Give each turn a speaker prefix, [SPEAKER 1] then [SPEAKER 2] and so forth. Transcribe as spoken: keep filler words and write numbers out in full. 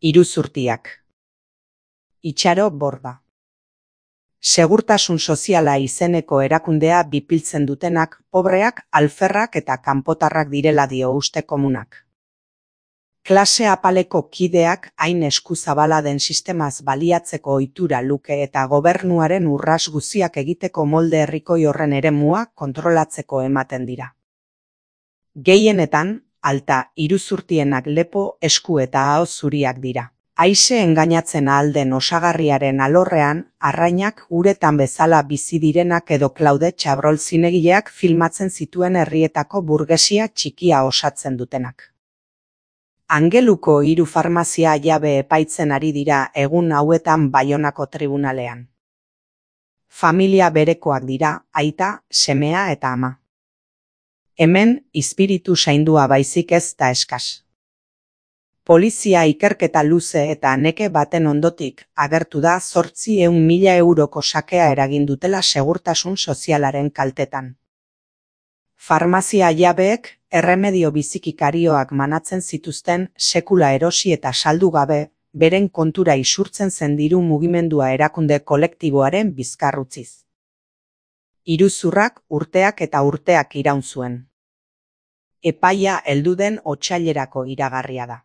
[SPEAKER 1] Iruzurtiak. Itxaro Borda. Segurtasun soziala izeneko erakundea bipiltzen dutenak pobreak, alferrak eta kanpotarrak direla dio uste komunak. Klase apaleko kideak hain eskuzabala den sistemaz baliatzeko ohitura luke eta gobernuaren urras guziak egiteko molde herrikoi horren eremua kontrolatzeko ematen dira. Gehienetan, alta iruzurtienak lepo, esku eta aho zuriak dira. Haize engainatzen ahal den osagarriaren alorrean, arrainak uretan bezala bizi direnak edo Claude Chabrol zinegileak filmatzen zituen herrietako burgesia txikia osatzen dutenak. Angeluko hiru farmazia jabe epaitzen ari dira egun hauetan Baionako tribunalean. Familia berekoak dira, aita, semea eta ama. Hemen, izpiritu zaindua baizik ez da eskas. Polizia ikerketa luze eta neke baten ondotik agertu da zortzi ehun mila euroko sakea eragin dutela segurtasun sozialaren kaltetan. Farmazia jabeek erremedio bizikikarioak manatzen zituzten sekula erosi eta saldu gabe, beren kontura isurtzen zen diru mugimendua erakunde kolektiboaren bizkarrutziz. Iruzurrak urteak eta urteak iraun zuen. Epaia heldu den otsailerako iragarria da.